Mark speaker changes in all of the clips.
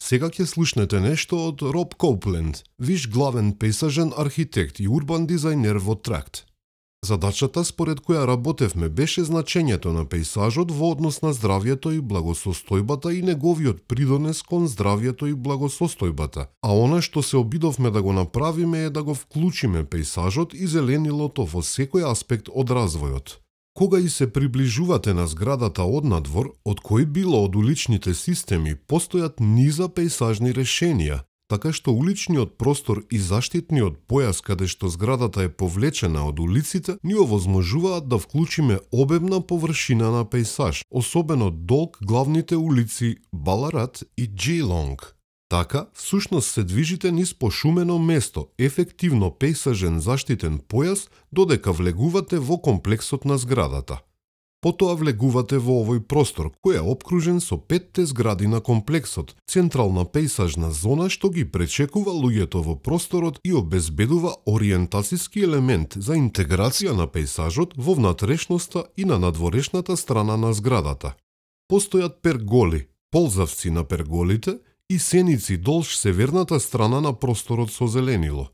Speaker 1: Сега ќе слушнете нешто од Роб Коупленд, виш главен пейсажен архитект и урбан дизајнер во Тракт. Задачата според која работевме беше значењето на пейсажот во однос на здравјето и благосостојбата и неговиот придонес кон здравјето и благосостојбата, а она што се обидовме да го направиме е да го вклучиме пейсажот и зеленилото во секој аспект од развојот. Кога и се приближувате на зградата однадвор, од кој било од уличните системи постојат низа пейсажни решенија, така што уличниот простор и заштитниот појас каде што зградата е повлечена од улиците ни овозможуваат да вклучиме обемна површина на пейсаж, особено долг главните улици Баларат и Джейлонг. Така, всушност се движите низ пошумено место, ефективно пейсажен заштитен појас, додека влегувате во комплексот на зградата. Потоа влегувате во овој простор, кој е опкружен со 5 згради на комплексот, централна пейсажна зона што ги пречекува луѓето во просторот и обезбедува ориентацијски елемент за интеграција на пейсажот во внатрешноста и на надворешната страна на зградата. Постојат перголи, ползавци на перголите и сеници долж северната страна на просторот со зеленило.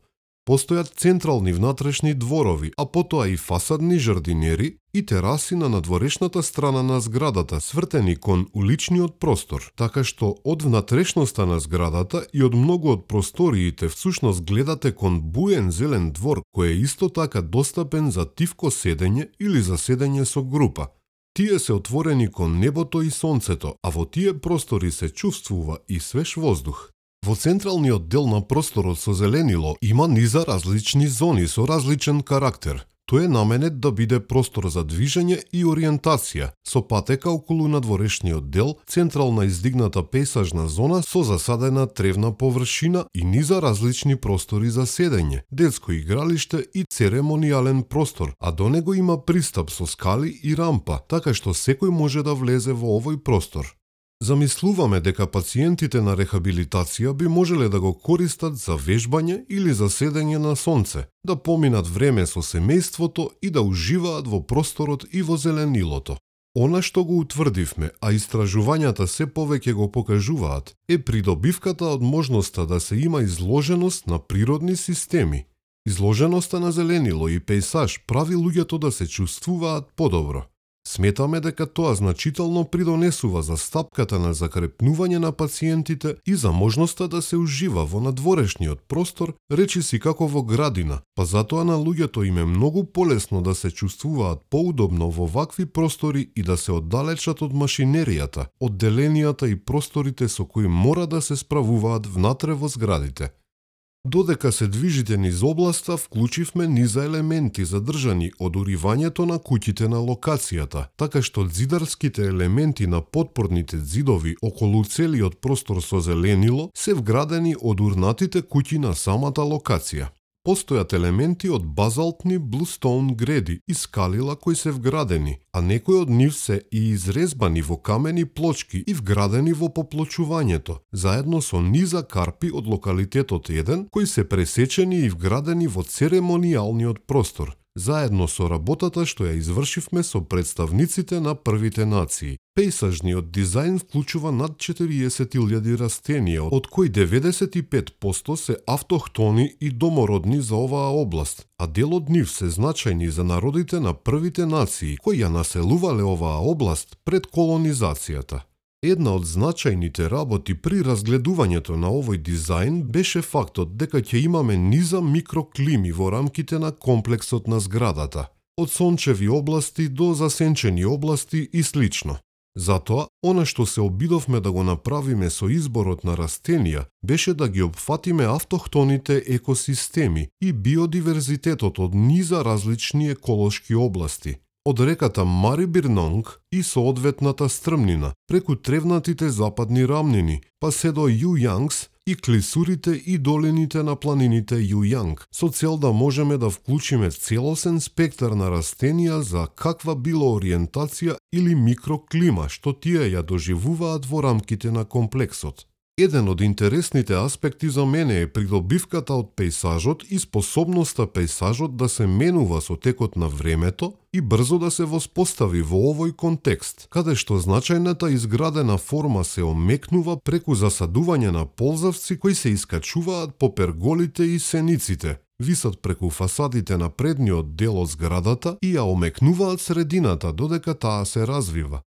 Speaker 1: Постојат централни внатрешни дворови, а потоа и фасадни жардинери и тераси на надворешната страна на зградата, свртени кон уличниот простор, така што од внатрешноста на зградата и од многу од просториите всушност гледате кон буен зелен двор кој е исто така достапен за тивко седење или за седење со група. Тие се отворени кон небото и сонцето, а во тие простори се чувствува и свеж воздух. Во централниот дел на просторот со зеленило има низа различни зони со различен карактер. Тој е наменет да биде простор за движење и ориентација, со патека околу надворешниот дел, централна издигната пейсажна зона со засадена тревна површина и низа различни простори за седење, детско игралиште и церемонијален простор, а до него има пристап со скали и рампа, така што секој може да влезе во овој простор. Замислуваме дека пациентите на рехабилитација би можеле да го користат за вежбање или за седење на сонце, да поминат време со семејството и да уживаат во просторот и во зеленилото. Она што го утврдивме, а истражувањата се повеќе го покажуваат, е придобивката од можноста да се има изложеност на природни системи. Изложеноста на зеленило и пейсаж прави луѓето да се чувствуваат подобро. Сметаме дека тоа значително придонесува за стапката на закрепнување на пациентите и за можноста да се ужива во надворешниот простор, речиси како во градина, па затоа на луѓето им е многу полесно да се чувствуваат поудобно во вакви простори и да се оддалечат од машинеријата, одделенијата и просторите со кои мора да се справуваат внатре во зградите. Додека се движите низ областа, вклучивме низа елементи задржани од уривањето на куќите на локацијата, така што зидарските елементи на потпорните зидови околу целиот простор со зеленило се вградени од урнатите куќи на самата локација. Постојат елементи од базалтни блустоун греди и скалила кои се вградени, а некои од нив се и изрезбани во камени плочки и вградени во поплочувањето, заедно со низа карпи од локалитетот 1 кои се пресечени и вградени во церемонијалниот простор, заедно со работата што ја извршивме со представниците на првите нации. Пейсажниот дизајн вклучува над 40.000 растенија, од кои 95% се автохтони и домородни за оваа област, а дел од нив се значајни за народите на првите нации, кои ја населувале оваа област пред колонизацијата. Една од значајните работи при разгледувањето на овој дизајн беше фактот дека ќе имаме низа микроклими во рамките на комплексот на зградата, од сончеви области до засенчени области и слично. Затоа, она што се обидовме да го направиме со изборот на растенија беше да ги опфатиме автохтоните екосистеми и биодиверзитетот од низа различни еколошки области, од реката Марибирнонг и соодветната стрмнина, преку тревнатите западни рамнини, па се до Јујангс и клисурите и долините на планините Јујанг, со цел да можеме да вклучиме целосен спектар на растенија за каква било ориентација или микроклима што тие ја доживуваат во рамките на комплексот. Еден од интересните аспекти за мене е придобивката од пејсажот и способноста пејсажот да се менува со текот на времето и брзо да се воспостави во овој контекст, каде што значајната изградена форма се омекнува преку засадување на ползавци кои се искачуваат по перголите и сениците, висат преку фасадите на предниот дел од зградата и ја омекнуваат средината додека таа се развива.